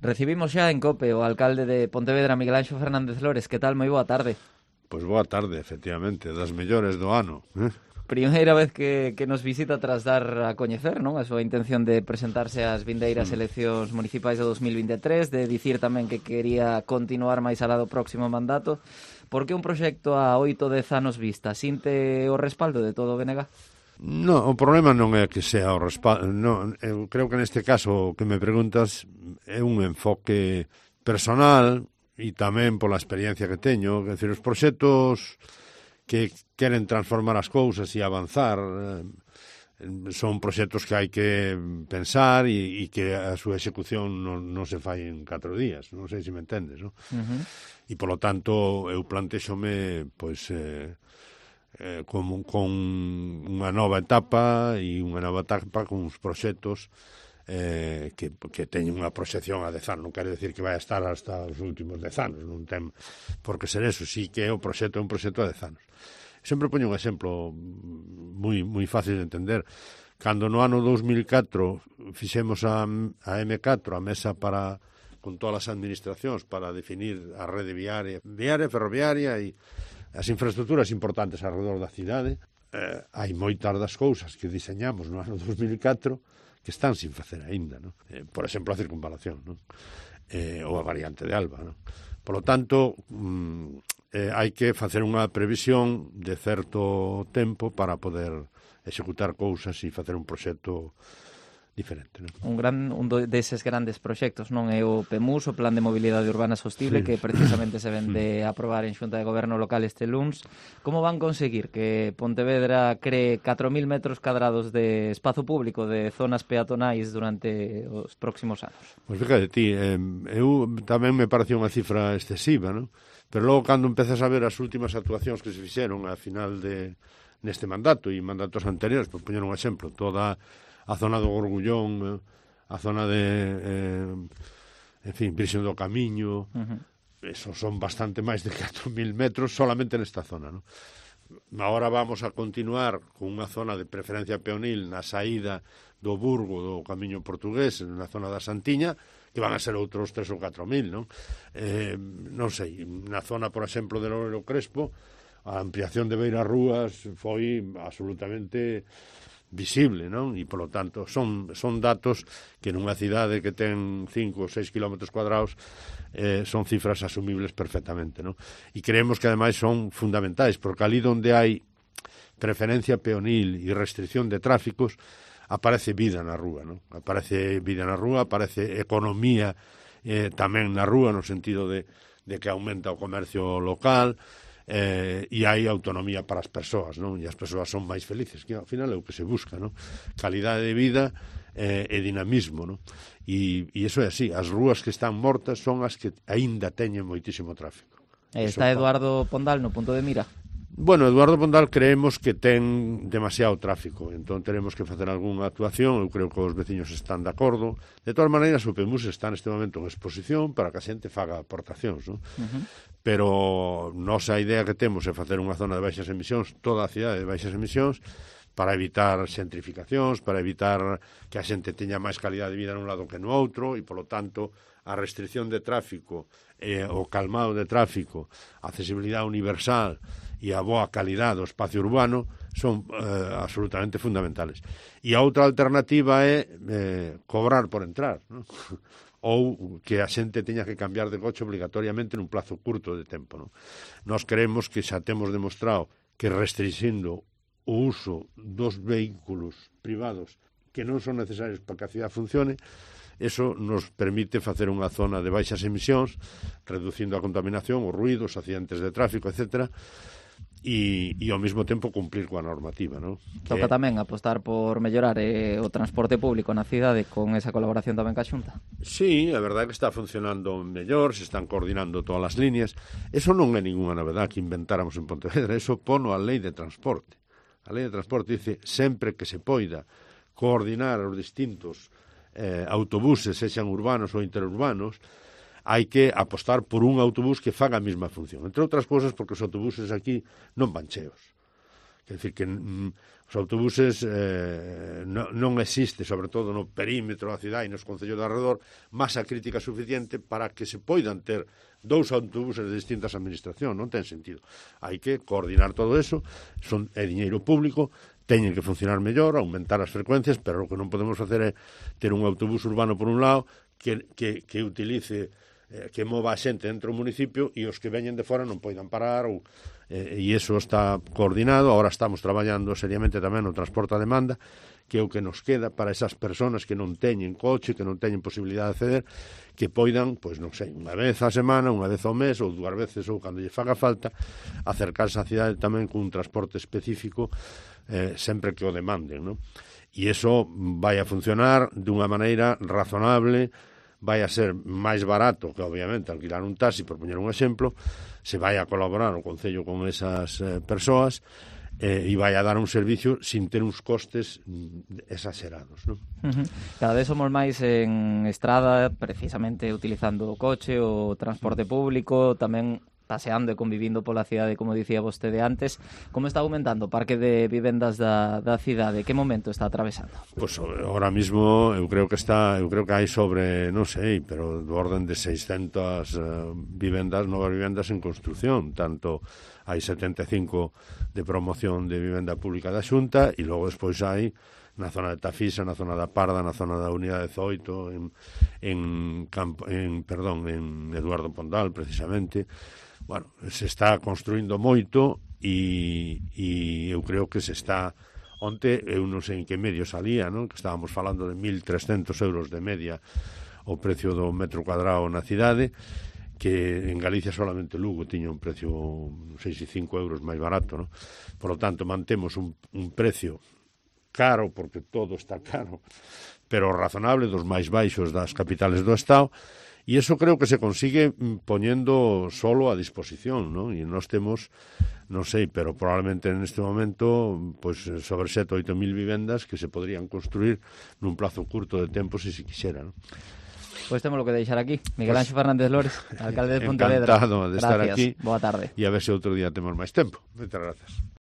Recibimos xa en COPE o alcalde de Pontevedra, Miguel Anxo Fernández Lores. Que tal? Moi boa tarde. Pois boa tarde, efectivamente, das mellores do ano. Primeira vez que nos visita tras dar a coñecer, non? A súa intención de presentarse ás vindeiras eleccións municipais de 2023, de dicir tamén que quería continuar máis alá do próximo mandato. Por que un proxecto a 8-10 anos vista? Sinte o respaldo de todo o BNG? No, o problema non é que sea o respaldo. No, eu creo que neste caso o que me preguntas é un enfoque personal e tamén pola experiencia que teño. É dicir, os proxectos que queren transformar as cousas e avanzar son proxectos que hai que pensar e que a súa execución non se fai en 4 días. Non sei se me entendes, non? E, polo tanto, eu plantexome, pois... con unha nova etapa e unha nova etapa con uns proxectos que teñen unha proxección a 10 anos. Non quere decir que vai a estar hasta os últimos 10 anos, non ten por que ser eso. Sí que o proxecto é un proxecto a 10 anos. Sempre poño un exemplo moi fácil de entender. Cando no ano 2004 fixemos a M4, a mesa para con todas as administracións para definir a rede viaria, ferroviaria e as infraestructuras importantes alrededor da cidade, hai moitas das cousas que diseñamos no ano 2004 que están sin facer aínda, non? Por exemplo, a circunvalación, non? Ou a variante de Alba, non? Por lo tanto, hai que facer unha previsión de certo tempo para poder executar cousas e facer un proxecto diferente, non? Un deses grandes proxectos, non é o PEMUS, o Plan de Mobilidade Urbana Sostible, que precisamente se ven de aprobar en Xunta de Goberno local este luns. Como van conseguir que Pontevedra cree 4.000 metros cadrados de espazo público, de zonas peatonais durante os próximos anos? Pois fíjate ti, eu tamén me parecía unha cifra excesiva, non? Pero logo, cando empezas a ver as últimas actuacións que se fixeron a final neste mandato e mandatos anteriores, por poñer un exemplo, toda a zona do Gorgullón, a zona de, en fin, Virxen do Camiño, esos son bastante máis de 4.000 metros solamente nesta zona, non? Agora vamos a continuar con unha zona de preferencia peonil na saída do Burgo, do Camiño Portugués, na zona da Santiña, que van a ser outros 3 ou 4.000, non? Non sei, na zona, por exemplo, de Loureiro Crespo, a ampliación de Beira Rúas foi absolutamente visible, non? E, polo tanto, son datos que nunha cidade que ten 5 ou 6 km cuadrados son cifras asumibles perfectamente, non? E creemos que, ademais, son fundamentais, porque ali onde hai preferencia peonil e restricción de tráficos, aparece vida na rúa, non? Aparece vida na rúa, aparece economía tamén na rúa, no sentido de que aumenta o comercio local, e hai autonomía para as persoas, non? E as persoas son máis felices, que ao final é o que se busca, non? Calidade de vida e dinamismo, non? E iso é así, as rúas que están mortas son as que aínda teñen moitísimo tráfico. Está Eduardo Pondal no punto de mira? Bueno, Eduardo Pondal creemos que ten demasiado tráfico, entón teremos que facer algunha actuación. Eu creo que os veciños están de acordo. De todas maneiras, o PEMUS está neste momento en exposición para que a xente faga aportacións, non? Pero nosa idea que temos é facer unha zona de baixas emisións, toda a cidade de baixas emisións, para evitar xentrificacións, para evitar que a xente teña máis calidade de vida nun lado que no outro, e, polo tanto, a restricción de tráfico, o calmado de tráfico, a accesibilidade universal e a boa calidade do espacio urbano son absolutamente fundamentales. E a outra alternativa é cobrar por entrar, non? Ou que a xente teña que cambiar de coche obligatoriamente nun plazo curto de tempo, non? Nós creemos que xa temos demostrado que restringindo o uso dos vehículos privados que non son necesarios para que a cidade funcione, eso nos permite facer unha zona de baixas emisións, reducindo a contaminación, os ruidos, os accidentes de tráfico, etcétera, e ao mesmo tempo cumplir coa normativa, non? Toca tamén apostar por mellorar o transporte público na cidade con esa colaboración tamén ca Xunta. Sí, a verdade é que está funcionando mellor, se están coordinando todas as líneas. Eso non é ninguna novedade que inventáramos en Pontevedra, eso pono a lei de transporte. A lei de transporte dice sempre que se poida coordinar os distintos autobuses, sexan urbanos ou interurbanos, hai que apostar por un autobús que faga a mesma función. Entre outras cousas, porque os autobuses aquí non van cheos. É dicir, que os autobuses non existe, sobre todo no perímetro da cidade e nos concellos de alrededor, masa crítica suficiente para que se poidan ter 2 autobuses de distintas administracións. Non ten sentido. Hai que coordinar todo eso, é diñeiro público, teñen que funcionar mellor, aumentar as frecuencias, pero o que non podemos facer é ter un autobús urbano por un lado que utilice, que mova a xente dentro do municipio e os que veñen de fora non poidan parar e iso está coordinado. Ahora estamos traballando seriamente tamén no transporte a demanda, que é o que nos queda para esas persoas que non teñen coche, que non teñen posibilidade de acceder, que poidan, pois non sei, unha vez a semana, unha vez ao mes ou 2 veces ou cando lle faga falta, acercarse á cidade tamén cun transporte específico sempre que o demanden, non? E iso vai a funcionar dunha maneira razonable, vai a ser máis barato que, obviamente, alquilar un taxi, por poñer un exemplo, se vai a colaborar o Concello con esas persoas e vai a dar un servicio sin ter uns costes exagerados, non? Cada vez somos máis en estrada, precisamente utilizando o coche, o transporte público, tamén paseando e convivindo pola cidade, como dicía vostede antes. Como está aumentando o parque de vivendas da cidade? Que momento está atravesando? Pois ahora mismo eu creo que hai sobre, non sei, pero do orden de 600 novas vivendas en construción, tanto hai 75 de promoción de vivenda pública da Xunta e logo despois hai na zona de Tafisa, na zona da Parda, na zona da Unidade 18, en Eduardo Pondal, precisamente. Bueno, se está construindo moito e eu creo que se está... Onte, eu non sei en que medio salía, non? Que estábamos falando de 1.300 euros de media o precio do metro cuadrado na cidade, que en Galicia solamente Lugo tiña un precio 6,5 euros máis barato, non? Por lo tanto, mantemos un precio caro, porque todo está caro, pero razonable, dos máis baixos das capitales do Estado. E iso creo que se consigue poñendo solo a disposición, ¿no? E nós temos, non sei, pero probablemente neste momento pues, sobre 7 ou 8 mil vivendas que se podrían construir nun plazo curto de tempo se quixera, ¿no? Pois temos lo que deixar aquí. Miguel Anxo Fernández Lores, alcalde de Pontevedra. Encantado de estar aquí. Boa tarde. E a ver se outro día temos máis tempo. Moitas grazas.